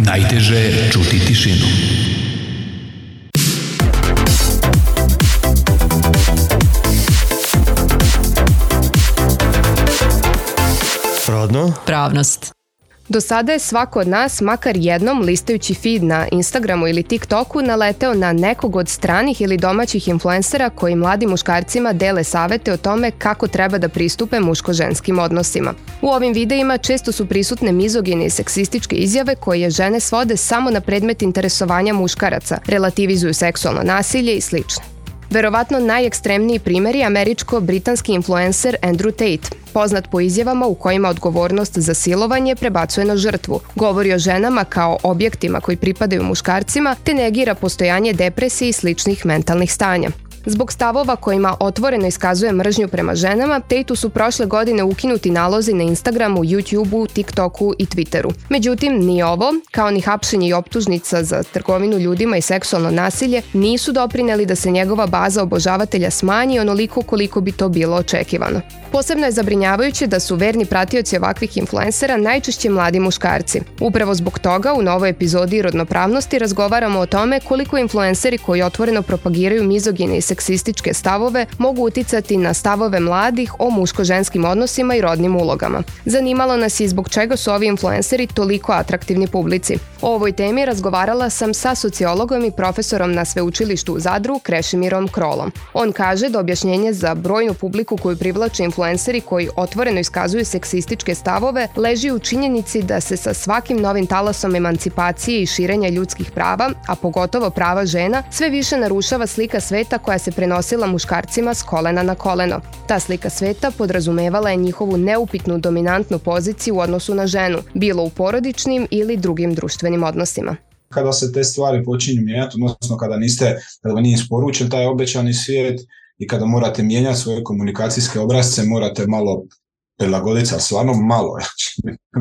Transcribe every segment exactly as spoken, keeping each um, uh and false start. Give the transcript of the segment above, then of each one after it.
Najteže je čuti tišinu. Rodno? Pravnost. Do sada je svako od nas, makar jednom listajući feed na Instagramu ili TikToku, naleteo na nekog od stranih ili domaćih influencera koji mladim muškarcima dele savete o tome kako treba da pristupe muško-ženskim odnosima. U ovim videima često su prisutne mizogine i seksističke izjave koje žene svode samo na predmet interesovanja muškaraca, relativizuju seksualno nasilje i slično. Verovatno najekstremniji primjer je američko-britanski influencer Andrew Tate, poznat po izjavama u kojima odgovornost za silovanje prebacuje na žrtvu, govori o ženama kao objektima koji pripadaju muškarcima, te negira postojanje depresije i sličnih mentalnih stanja. Zbog stavova kojima otvoreno iskazuje mržnju prema ženama, Tateu su prošle godine ukinuti nalozi na Instagramu, YouTubeu, TikToku i Twitteru. Međutim, ni ovo, kao ni hapšenje i optužnica za trgovinu ljudima i seksualno nasilje, nisu doprineli da se njegova baza obožavatelja smanji onoliko koliko bi to bilo očekivano. Posebno je zabrinjavajuće da su verni pratioci ovakvih influencera najčešće mladi muškarci. Upravo zbog toga u novoj epizodi Rodnopravnosti razgovaramo o tome koliko influenceri koji otvoreno propagiraju mizogine i seksističke stavove mogu uticati na stavove mladih o muško-ženskim odnosima i rodnim ulogama. Zanimalo nas je zbog čega su ovi influenceri toliko atraktivni publici. O ovoj temi razgovarala sam sa sociologom i profesorom na sveučilištu u Zadru, Krešimirom Krolom. On kaže da objašnjenje za brojnu publiku koju privlače influenceri koji otvoreno iskazuju seksističke stavove leži u činjenici da se sa svakim novim talasom emancipacije i širenja ljudskih prava, a pogotovo prava žena, sve više narušava slika sveta koja se prenosila muškarcima s kolena na koleno. Ta slika sveta podrazumevala je njihovu neupitnu dominantnu poziciju u odnosu na ženu, bilo u porodičnim ili drugim društvenim odnosima. Kada se te stvari počinju mijenjati, odnosno kada niste, kada vam nije isporučen taj obećani svijet i kada morate mijenjati svoje komunikacijske obrasce, morate malo prilagoditi, ali stvarno malo.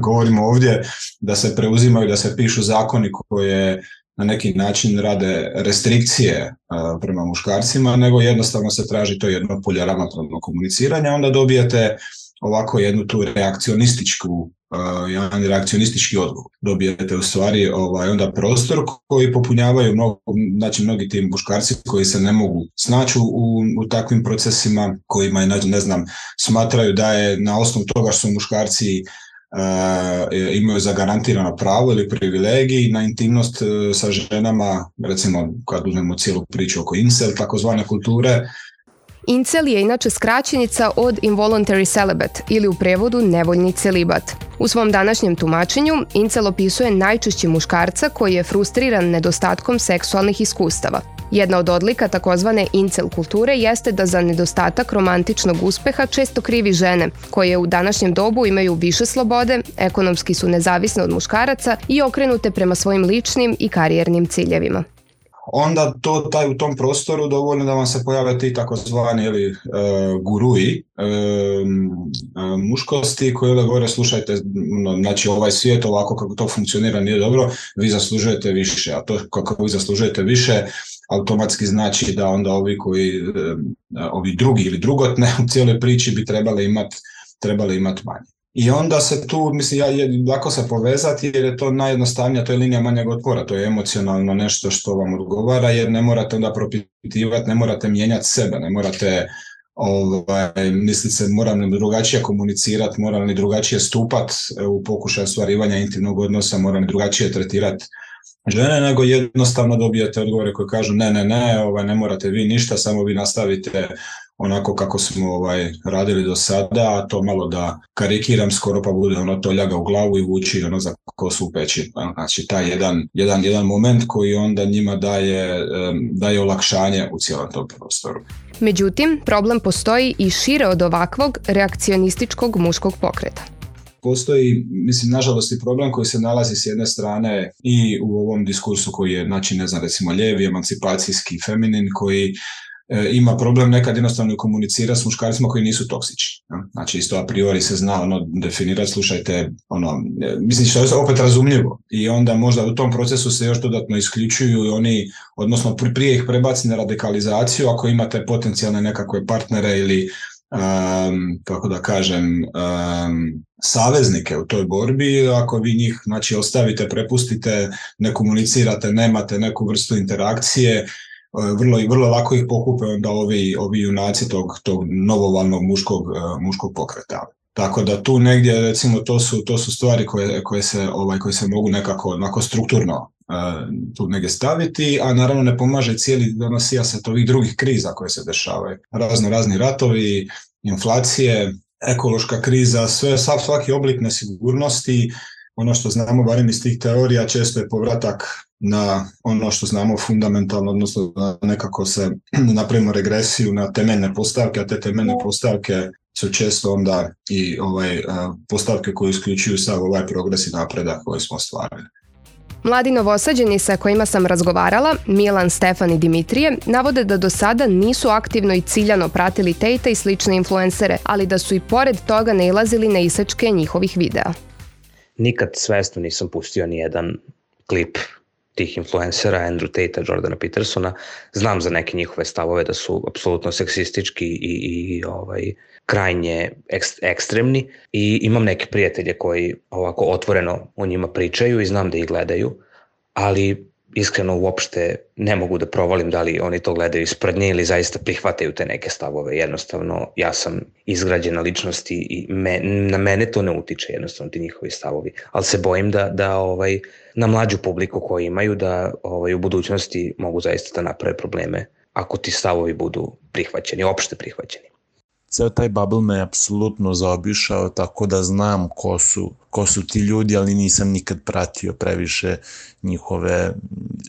Govorimo ovdje da se preuzimaju, da se pišu zakoni koje na neki način rade restrikcije uh, prema muškarcima, nego jednostavno se traži to jedno polje ravnopravnog komuniciranja, onda dobijete ovako jednu tu reakcionističku, uh, jedan reakcionistički odgovor. Dobijete u stvari ovaj, onda prostor koji popunjavaju mnogo, znači mnogi ti muškarci koji se ne mogu snaći u, u takvim procesima, kojima je, ne znam, smatraju da je na osnovu toga što su muškarci Uh, imaju zagarantirano pravo ili privilegij na intimnost uh, sa ženama, recimo kad uzmemo cijelu priču oko incel, takozvane kulture. Incel je inače skraćenica od involuntary celibate ili u prevodu nevoljni celibat. U svom današnjem tumačenju, incel opisuje najčešće muškarca koji je frustriran nedostatkom seksualnih iskustava. Jedna od odlika takozvane incel kulture jeste da za nedostatak romantičnog uspeha često krivi žene, koje u današnjem dobu imaju više slobode, ekonomski su nezavisne od muškaraca i okrenute prema svojim ličnim i karijernim ciljevima. Onda to, taj, u tom prostoru dovoljno da vam se pojave ti takozvani ili, uh, guruji uh, muškosti koji da govore slušajte, no, znači ovaj svijet ovako kako to funkcionira nije dobro, vi zaslužujete više, a to kako vi zaslužujete više automatski znači da onda ovi koji, uh, ovi drugi ili drugotne u cijeloj priči bi trebali imati trebali imati manje. I onda se tu, mislim, ja, je lako se povezati jer je to najjednostavnija, to je linija manjeg otpora, to je emocionalno nešto što vam odgovara jer ne morate onda propitivati, ne morate mijenjati sebe, ne morate ovaj, misliti se moram li drugačije komunicirati, moram li drugačije stupati u pokušaju ostvarivanja intimnog odnosa, moram li drugačije tretirati žene, nego jednostavno dobijete odgovore koji kažu ne, ne, ne, ovaj, ne morate vi ništa, samo vi nastavite onako kako smo ovaj, radili do sada, a to malo da karikiram skoro pa bude ono to ljaga u glavu i vuči ono za kosu u peći. Znači taj jedan, jedan, jedan moment koji onda njima daje, daje olakšanje u cijelom tom prostoru. Međutim, problem postoji i šire od ovakvog reakcionističkog muškog pokreta. Postoji, mislim, nažalost i problem koji se nalazi s jedne strane i u ovom diskursu koji je, znači, ne znam, recimo lijevi, emancipacijski, feminin, koji e, ima problem nekad jednostavno komunicirati s muškarcima koji nisu toksični. Ja? Znači, isto a priori se zna ono definirati, slušajte, ono, e, mislim, što je opet razumljivo. I onda možda u tom procesu se još dodatno isključuju i oni, odnosno prije ih prebaci na radikalizaciju ako imate potencijalne nekakve partnere ili um, kako da kažem, um, saveznike u toj borbi. Ako vi njih, znači, ostavite, prepustite, ne komunicirate, nemate neku vrstu interakcije, vrlo, vrlo lako ih pokupe onda ovi, ovi junaci tog, tog novovalnog muškog, muškog pokreta. Tako da tu negdje, recimo, to su, to su stvari koje, koje, se, ovaj, koje se mogu nekako onako strukturno uh, tu negdje staviti, a naravno ne pomaže cijeli donosija se ovih drugih kriza koje se dešavaju. Razno razni ratovi, inflacije, ekološka kriza, sve, svaki oblik nesigurnosti. Ono što znamo, barem iz tih teorija, često je povratak na ono što znamo fundamentalno, odnosno da nekako se napravimo regresiju na temeljne postavke, a te temeljne postavke su često onda i ovaj, postavke koje isključuju sav ovaj progres i napredak koji smo ostvarili. Mladi novosađeni sa kojima sam razgovarala, Milan, Stefan i Dimitrije, navode da do sada nisu aktivno i ciljano pratili Tate i slične influencere, ali da su i pored toga nailazili na isečke njihovih videa. Nikad svesno nisam pustio ni jedan klip tih influencera, Andrew Tate-a, Jordana Petersona. Znam za neke njihove stavove da su apsolutno seksistički i, i ovaj, krajnje ekst, ekstremni i imam neke prijatelje koji ovako otvoreno o njima pričaju i znam da ih gledaju, ali iskreno uopšte ne mogu da provalim da li oni to gledaju iz sprdnje ili zaista prihvataju te neke stavove. Jednostavno, ja sam izgrađena ličnost i me, na mene to ne utiče jednostavno ti njihovi stavovi, ali se bojim da, da ovaj, na mlađu publiku koju imaju da ovaj, u budućnosti mogu zaista da naprave probleme ako ti stavovi budu prihvaćeni, opšte prihvaćeni. Ceo taj bubble me je apsolutno zaobišao, tako da znam ko su, ko su ti ljudi, ali nisam nikad pratio previše njihove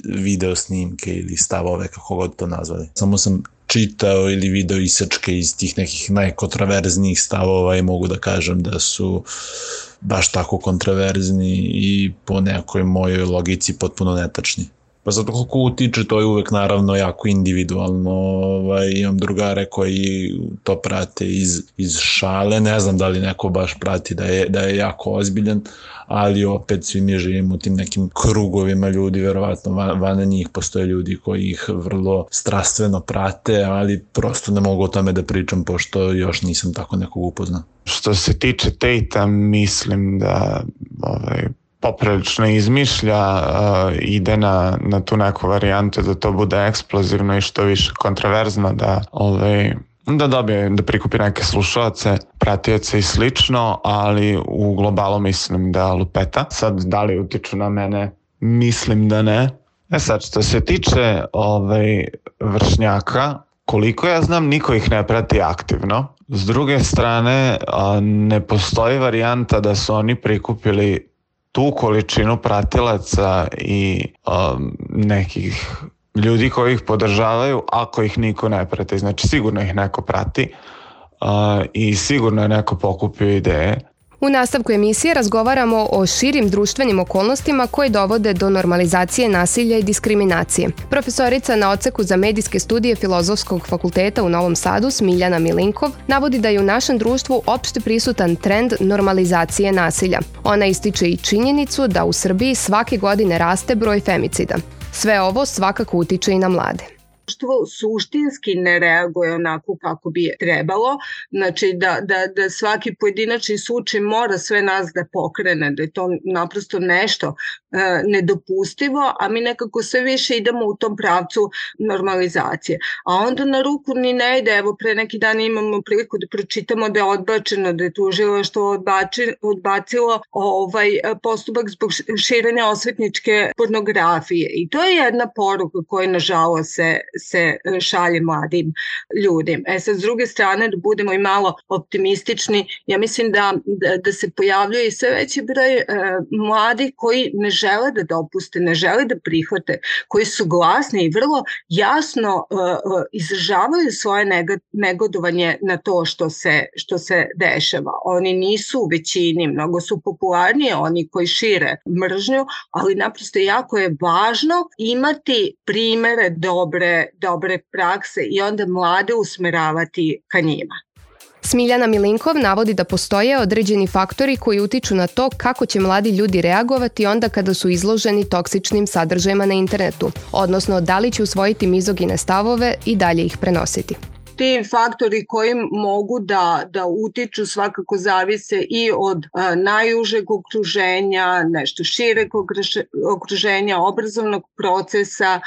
video snimke ili stavove, kako god to nazvali. Samo sam čitao ili video isečke iz tih nekih najkontraverznijih stavova i mogu da kažem da su baš tako kontraverzni i po nekoj mojoj logici potpuno netačni. Pa zato kako utiče, to je uvek naravno jako individualno, ovaj, imam drugare koji to prate iz, iz šale, ne znam da li neko baš prati da je, da je jako ozbiljan, ali opet svi mi živimo u tim nekim krugovima ljudi, verovatno van, van njih postoje ljudi koji ih vrlo strastveno prate, ali prosto ne mogu o tome da pričam pošto još nisam tako nekog upoznao. Što se tiče Tate-a, mislim da ovaj, poprilično izmišlja, uh, ide na, na tu neku varijantu da to bude eksplozivno i što više kontraverzno, da, ovaj, da dobije, da prikupi neke slušalce, pratioce i slično, ali u globalu mislim da lupeta. Sad, da li utiču na mene? Mislim da ne. E sad, što se tiče ovaj, vršnjaka, koliko ja znam, niko ih ne prati aktivno. S druge strane, uh, ne postoji varijanta da su oni prikupili tu količinu pratilaca i um, nekih ljudi koji ih podržavaju ako ih niko ne prati. Znači sigurno ih neko prati uh, i sigurno je neko pokupio ideje. U nastavku emisije razgovaramo o širim društvenim okolnostima koje dovode do normalizacije nasilja i diskriminacije. Profesorica na odseku za medijske studije Filozofskog fakulteta u Novom Sadu, Smiljana Milinkov, navodi da je u našem društvu opšte prisutan trend normalizacije nasilja. Ona ističe i činjenicu da u Srbiji svake godine raste broj femicida. Sve ovo svakako utiče i na mlade. Društvo suštinski ne reaguje onako kako bi trebalo, znači da, da, da svaki pojedinačni slučaj mora sve nas da pokrene, da je to naprosto nešto e, nedopustivo, a mi nekako sve više idemo u tom pravcu normalizacije. A onda na ruku ni ne ide, evo pre neki dan imamo priliku da pročitamo da je odbačeno, da je tužilaštvo odbači, odbacilo ovaj postupak zbog širenja osvetničke pornografije. I to je jedna poruka koja nažalost se se šalje mladim ljudima. E sad, s druge strane, da budemo i malo optimistični, ja mislim da, da, da se pojavljuje i sve veći broj e, mladih koji ne žele da dopuste, ne žele da prihvate, koji su glasni i vrlo jasno e, e, izražavaju svoje neg- negodovanje na to što se, što se dešava. Oni nisu u većini, mnogo su popularnije oni koji šire mržnju, ali naprosto jako je važno imati primere dobre dobre prakse i onda mlade usmeravati ka njima. Smiljana Milinkov navodi da postoje određeni faktori koji utiču na to kako će mladi ljudi reagovati onda kada su izloženi toksičnim sadržajima na internetu, odnosno da li će usvojiti mizogine stavove i dalje ih prenositi. ti faktori koji mogu da, da utiču svakako zavise i od a, najužeg okruženja, nešto šireg okruženja, obrazovnog procesa,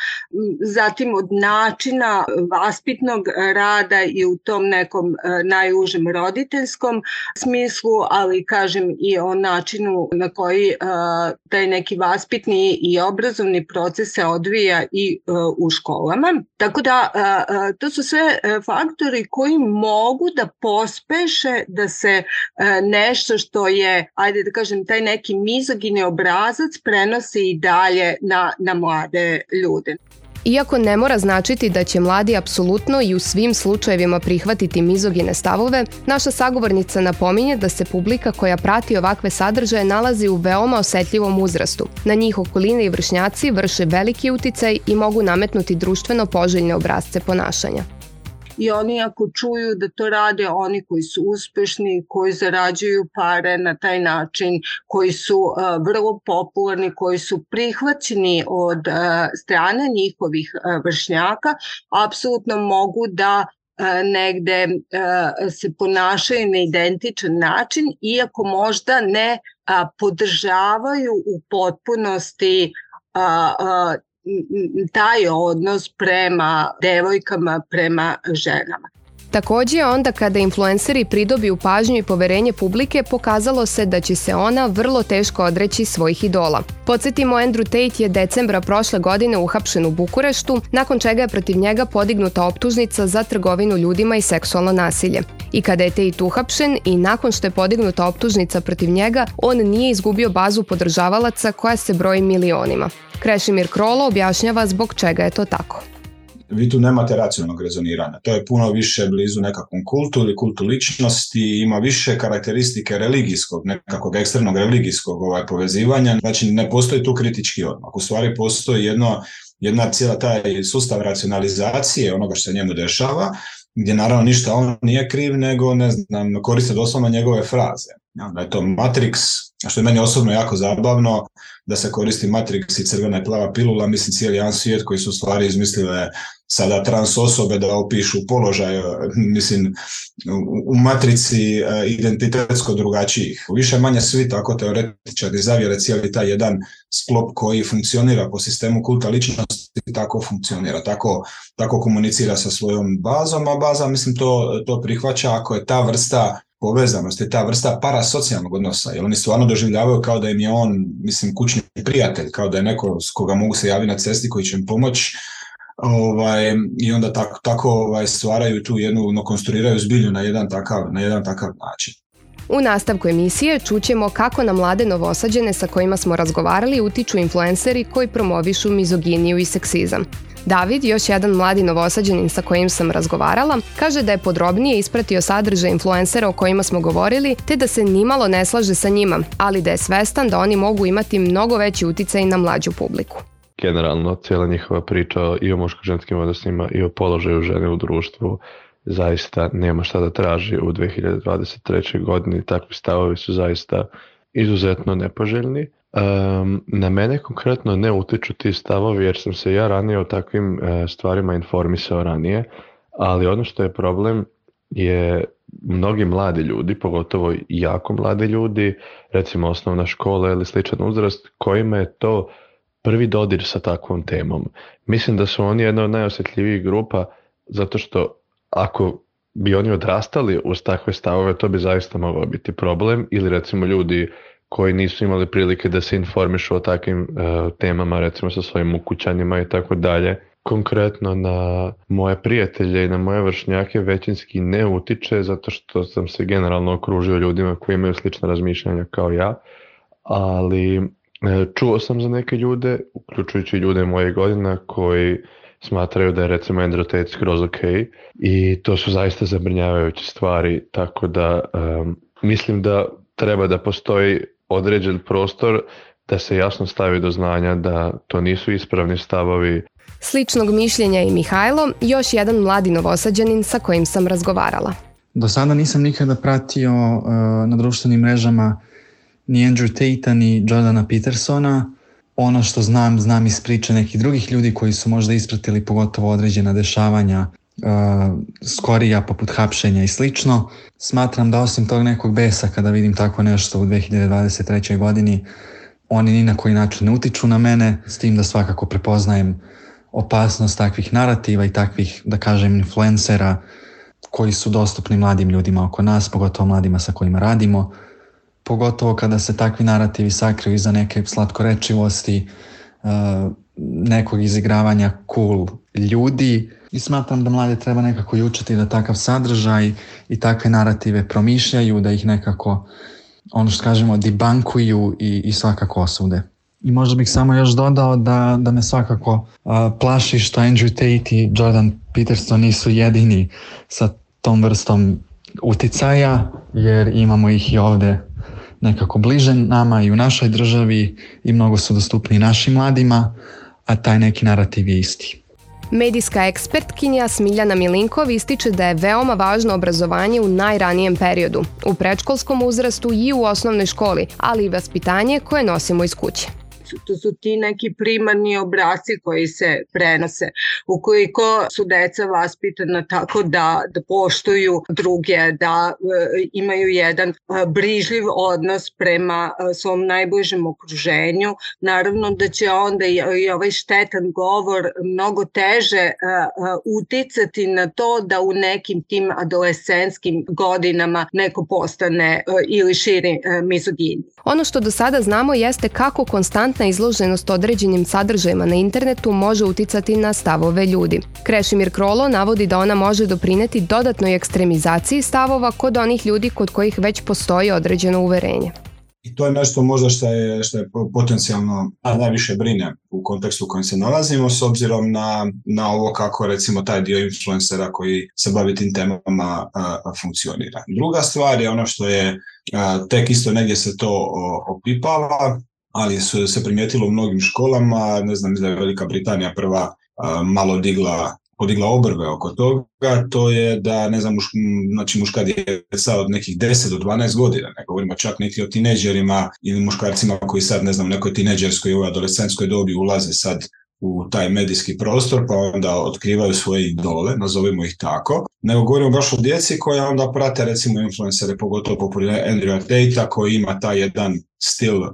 zatim od načina vaspitnog rada i u tom nekom a, najužem roditeljskom smislu, ali kažem i o načinu na koji a, taj neki vaspitni i obrazovni proces se odvija i a, u školama. Tako da a, a, to su sve faktori koji mogu da pospeše da se a, nešto što je, ajde da kažem, taj neki mizogini obrazac prenosi i dalje na, na mlade ljude. Iako ne mora značiti da će mladi apsolutno i u svim slučajevima prihvatiti mizogine stavove, naša sagovornica napominje da se publika koja prati ovakve sadržaje nalazi u veoma osetljivom uzrastu. Na njih okoline i vršnjaci vrše veliki uticaj i mogu nametnuti društveno poželjne obrasce ponašanja. I oni ako čuju da to rade oni koji su uspešni, koji zarađuju pare na taj način, koji su uh, vrlo popularni, koji su prihvaćeni od uh, strane njihovih uh, vršnjaka, apsolutno mogu da uh, negde uh, se ponašaju na identičan način, iako možda ne uh, podržavaju u potpunosti uh, uh, taj odnos prema devojkama, prema ženama. Takođe, onda kada influenceri pridobiju pažnju i poverenje publike, pokazalo se da će se ona vrlo teško odreći svojih idola. Podsjetimo, Andrew Tate je decembra prošle godine uhapšen u Bukureštu, nakon čega je protiv njega podignuta optužnica za trgovinu ljudima i seksualno nasilje. I kada je Tate uhapšen i nakon što je podignuta optužnica protiv njega, on nije izgubio bazu podržavalaca koja se broji milionima. Krešimir Krolo objašnjava zbog čega je to tako. Vi tu nemate racionalnog rezoniranja. To je puno više blizu nekakvom kultu ili kultu ličnosti, ima više karakteristike religijskog, nekakvog ekstremnog religijskog ovaj, povezivanja. Znači ne postoji tu kritički odmak. U stvari postoji jedno, jedna cijela taj sustav racionalizacije onoga što se njemu dešava, gdje naravno ništa on nije kriv, nego ne znam, koriste doslovno njegove fraze. Ja, da je to Matrix, što je meni osobno jako zabavno, da se koristi Matrix i crvena i plava pilula, mislim cijeli jedan svijet koji su u stvari izmislile sada trans osobe da opišu položaj, mislim, u matrici identitetsko drugačijih. Više manje svi tako teoretičari zavjere cijeli taj jedan sklop koji funkcionira po sistemu kulta ličnosti, tako funkcionira, tako, tako komunicira sa svojom bazom, a baza, mislim, to, to prihvaća ako je ta vrsta povezanosti, ta vrsta parasocijalnog odnosa, jer oni stvarno doživljavaju kao da im je on, mislim, kućni prijatelj, kao da je neko s koga mogu se javiti na cesti koji će im pomoći, ovaj, i onda tako, tako ovaj, stvaraju tu jednu, no, konstruiraju zbilju na jedan takav, na jedan takav način. U nastavku emisije čućemo kako na mlade novosađene sa kojima smo razgovarali utiču influenceri koji promovišu mizoginiju i seksizam. David, još jedan mladi novosađanin sa kojim sam razgovarala, kaže da je podrobnije ispratio sadržaj influencera o kojima smo govorili, te da se nimalo ne slaže sa njima, ali da je svestan da oni mogu imati mnogo veći uticaj na mlađu publiku. Generalno, cijela njihova priča i o muško-ženskim odnosima i o položaju žene u društvu zaista nema šta da traži u dve hiljade dvadeset trećoj godini. Takvi stavovi su zaista izuzetno nepoželjni. Um, na mene konkretno ne utiču ti stavovi jer sam se ja ranije o takvim uh, stvarima informisao ranije, ali ono što je problem je mnogi mladi ljudi, pogotovo jako mladi ljudi, recimo osnovna škola ili sličan uzrast, kojima je to prvi dodir sa takvom temom. Mislim da su oni jedna od najosjetljivijih grupa zato što ako bi oni odrastali uz takve stavove, to bi zaista mogao biti problem, ili recimo ljudi koji nisu imali prilike da se informišu o takvim uh, temama, recimo sa svojim ukućanima i tako dalje. Konkretno na moje prijatelje i na moje vršnjake većinski ne utiče zato što sam se generalno okružio ljudima koji imaju slična razmišljanja kao ja, ali uh, čuo sam za neke ljude, uključujući ljude moje godina koji smatraju da je recimo Andrew Tate skroz ok i to su zaista zabrinjavajuće stvari, tako da um, mislim da treba da postoji određen prostor da se jasno stavi do znanja da to nisu ispravni stavovi. Sličnog mišljenja je i Mihajlo, još jedan mladi novosađanin sa kojim sam razgovarala. Do sada nisam nikada pratio uh, na društvenim mrežama ni Andrew Tate-a ni Jordana Petersona. Ono što znam, znam iz priče nekih drugih ljudi koji su možda ispratili pogotovo određena dešavanja uh, skorija poput hapšenja i slično. Smatram da osim tog nekog besa kada vidim tako nešto u dve hiljade dvadeset trećoj godini, oni ni na koji način ne utiču na mene, s tim da svakako prepoznajem opasnost takvih narativa i takvih, da kažem, influencera koji su dostupni mladim ljudima oko nas, pogotovo mladima sa kojima radimo, pogotovo kada se takvi narativi sakriju iza neke slatkorečivosti, nekog izigravanja cool ljudi, i smatram da mlade treba nekako i učiti da takav sadržaj i takve narative promišljaju, da ih nekako, ono što kažemo, debankuju i, i svakako osude. I možda bih samo još dodao da, da me svakako uh, plaši što Andrew Tate i Jordan Peterson nisu jedini sa tom vrstom uticaja, jer imamo ih i ovde nekako bliže nama i u našoj državi i mnogo su dostupni našim mladima, a taj neki narativ je isti. Medijska ekspertkinja Smiljana Milinkov ističe da je veoma važno obrazovanje u najranijem periodu, u predškolskom uzrastu i u osnovnoj školi, ali i vaspitanje koje nosimo iz kuće. To su ti neki primarni obrasci koji se prenose. Ukoliko su deca vaspitana tako da, da poštuju druge, da e, imaju jedan e, brižljiv odnos prema e, svom najbližem okruženju, naravno da će onda i, i ovaj štetan govor mnogo teže e, e, uticati na to da u nekim tim adolescentskim godinama neko postane e, ili širi e, mizogini. Ono što do sada znamo jeste kako konstantna izloženost određenim sadržajima na internetu može uticati na stavove ljudi. Krešimir Krolo navodi da ona može doprineti dodatnoj ekstremizaciji stavova kod onih ljudi kod kojih već postoji određeno uverenje. I to je nešto možda što je, što je potencijalno a najviše brine u kontekstu u kojem se nalazimo, s obzirom na, na ovo kako recimo taj dio influencera koji se bavi tim temama a, a, funkcionira. Druga stvar je ono što je a, tek isto negdje se to o, opipava, ali su se primijetilo u mnogim školama, ne znam da je Velika Britanija prva a, malo digla podigla obrve oko toga, to je da, ne znam, muš, znači muška djeca od nekih deset do dvanaest godina, ne govorimo čak niti o tineđerima ili muškarcima koji sad, ne znam, nekoj tineđerskoj ili adolescentskoj dobi ulaze sad u taj medijski prostor, pa onda otkrivaju svoje idole, nazovimo ih tako, nego govorimo baš o djeci koja onda prate recimo influencere, pogotovo poput Andrewa Tatea koji ima taj jedan stil uh,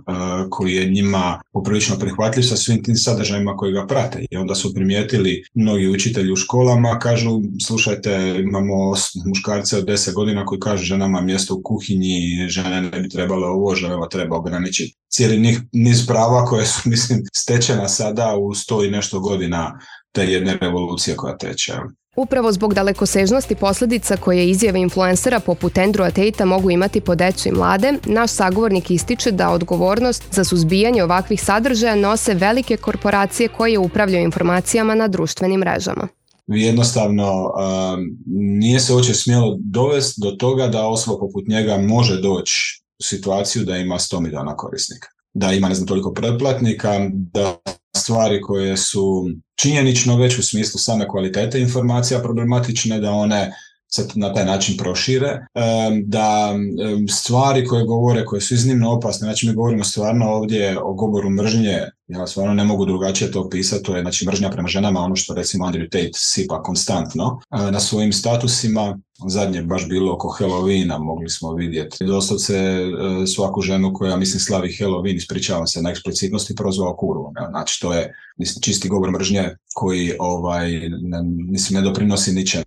koji je njima poprilično prihvatljiv sa svim tim sadržajima koji ga prate. I onda su primijetili mnogi učitelji u školama, kažu, slušajte, imamo muškarce od deset godina koji kažu ženama mjesto u kuhinji, žene ne bi trebalo ovo, ženama treba ograničiti. Cijeli niz prava koje su, mislim, stečena sada u sto i nešto godina te jedne revolucije koja teče. Upravo zbog dalekosežnosti posljedica koje izjave influencera poput Andrewa Tatea mogu imati po decu i mlade, naš sagovornik ističe da odgovornost za suzbijanje ovakvih sadržaja nose velike korporacije koje upravljaju informacijama na društvenim mrežama. Jednostavno um, nije se uopće smjelo dovesti do toga da osoba poput njega može doći u situaciju da ima sto milijuna korisnika, da ima ne znam toliko pretplatnika, da stvari koje su činjenično već u smislu same kvalitete informacija problematične, da one se na taj način prošire, da stvari koje govore, koje su iznimno opasne, znači mi govorimo stvarno ovdje o govoru mržnje, ja stvarno ne mogu drugačije to opisati, to je znači mržnja prema ženama, ono što recimo Andrew Tate sipa konstantno na svojim statusima. Zadnje baš bilo oko Halloweena, mogli smo vidjeti doslovce svaku ženu koja, mislim, slavi Halloween, ispričavam se na eksplicitnosti, prozvao kurvom. Znači to je, mislim, čisti govor mržnje koji ovaj, ne, mislim, ne doprinosi ničem.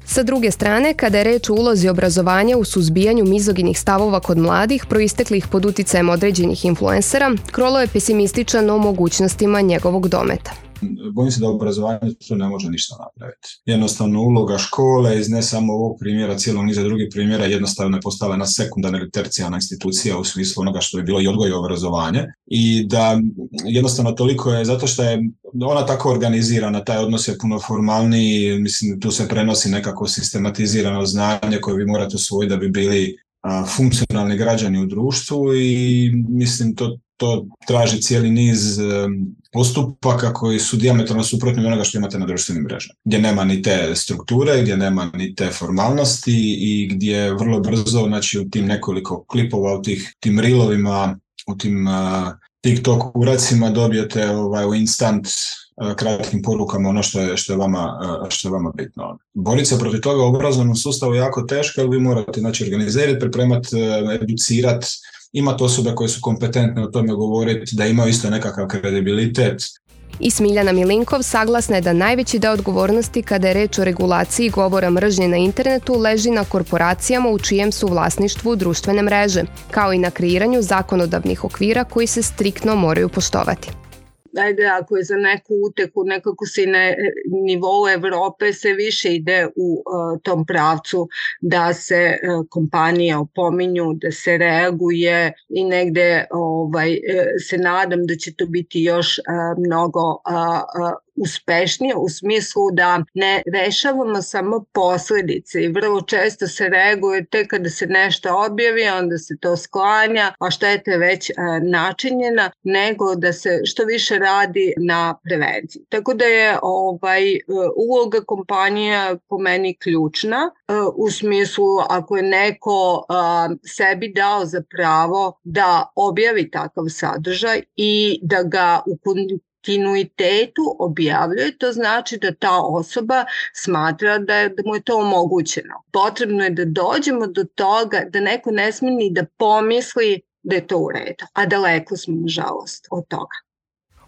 Sa druge strane, kada je reč o ulozi obrazovanja u suzbijanju mizoginih stavova kod mladih, proisteklih pod uticajem određenih influencera, Krolo je pesimističan o mogućnostima njegovog dometa. Bojim se da obrazovanje tu ne može ništa napraviti. Jednostavno uloga škole iz ne samo ovog primjera, cijelog niza drugih primjera jednostavno je postala jedna sekundarna ili tercijarna institucija u smislu onoga što je bilo i odgoj i obrazovanje i da jednostavno toliko je, zato što je ona tako organizirana, taj odnos je puno formalniji, mislim tu se prenosi nekako sistematizirano znanje koje vi morate usvojiti da bi bili a, funkcionalni građani u društvu i mislim to to traži cijeli niz postupaka koji su dijametralno suprotni onoga što imate na društvenim mrežama, gdje nema ni te strukture, gdje nema ni te formalnosti i gdje vrlo brzo, znači u tim nekoliko klipova, u tih, tim reelovima, u tim uh, TikTok uracima dobijete ovaj, u instant kratkim porukama ono što je, što je, vama, što je vama bitno. Boriti se protiv toga u obrazovnom sustavu je jako teško, jer vi morate znači, organizirati, pripremati, educirati, imati osobe koje su kompetentne o tome govoriti, da imaju isto nekakav kredibilitet. I Smiljana Milinkov saglasna je da najveći deo odgovornosti kada je reč o regulaciji govora mržnje na internetu leži na korporacijama u čijem su vlasništvu društvene mreže, kao i na kreiranju zakonodavnih okvira koji se striktno moraju poštovati. Ajde, ako je za neku uteku, nekako se na nivou Evrope se više ide u uh, tom pravcu da se uh, kompanije opominju, da se reaguje i negde ovaj, uh, se nadam da će to biti još uh, mnogo uh, uh, uspešnije u smislu da ne rešavamo samo posledice i vrlo često se reaguje tek kada se nešto objavi, onda se to sklanja, a šteta je već a, načinjena, nego da se što više radi na prevenciji. Tako da je ovaj uloga kompanija po meni ključna a, u smislu ako je neko a, sebi dao za pravo da objavi takav sadržaj i da ga u kontinuitetu objavljuje, to znači da ta osoba smatra da, je, da mu je to omogućeno. Potrebno je da dođemo do toga da neko ne smije ni da pomisli da je to u redu, a daleko smo, nažalost, od toga.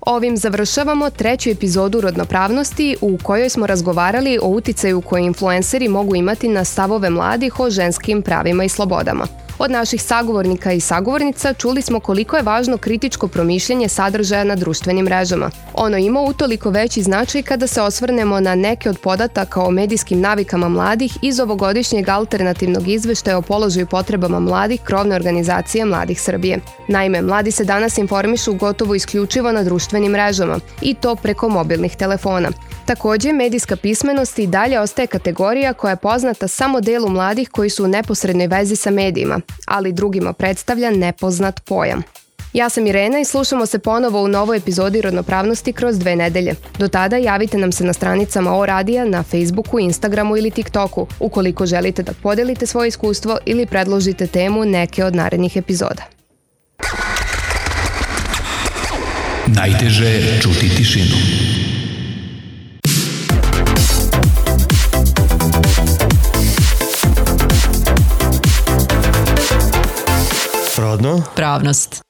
Ovim završavamo treću epizodu Rodnopravnosti u kojoj smo razgovarali o uticaju koje influenceri mogu imati na stavove mladih o ženskim pravima i slobodama. Od naših sagovornika i sagovornica čuli smo koliko je važno kritičko promišljanje sadržaja na društvenim mrežama. Ono ima utoliko veći značaj kada se osvrnemo na neke od podataka o medijskim navikama mladih iz ovogodišnjeg alternativnog izveštaja o položaju potrebama mladih krovne organizacije Mladih Srbije. Naime, mladi se danas informišu gotovo isključivo na društvenim mrežama i to preko mobilnih telefona. Takođe, medijska pismenost i dalje ostaje kategorija koja je poznata samo delu mladih koji su u neposrednoj vezi sa medijima, ali drugima predstavlja nepoznat pojam. Ja sam Irena i slušamo se ponovo u novoj epizodi Rodnopravnosti kroz dve nedelje. Do tada javite nam se na stranicama O Radija, na Facebooku, Instagramu ili TikToku, ukoliko želite da podelite svoje iskustvo ili predložite temu neke od narednih epizoda. Najteže je čuti tišinu. Rodno? Pravnost.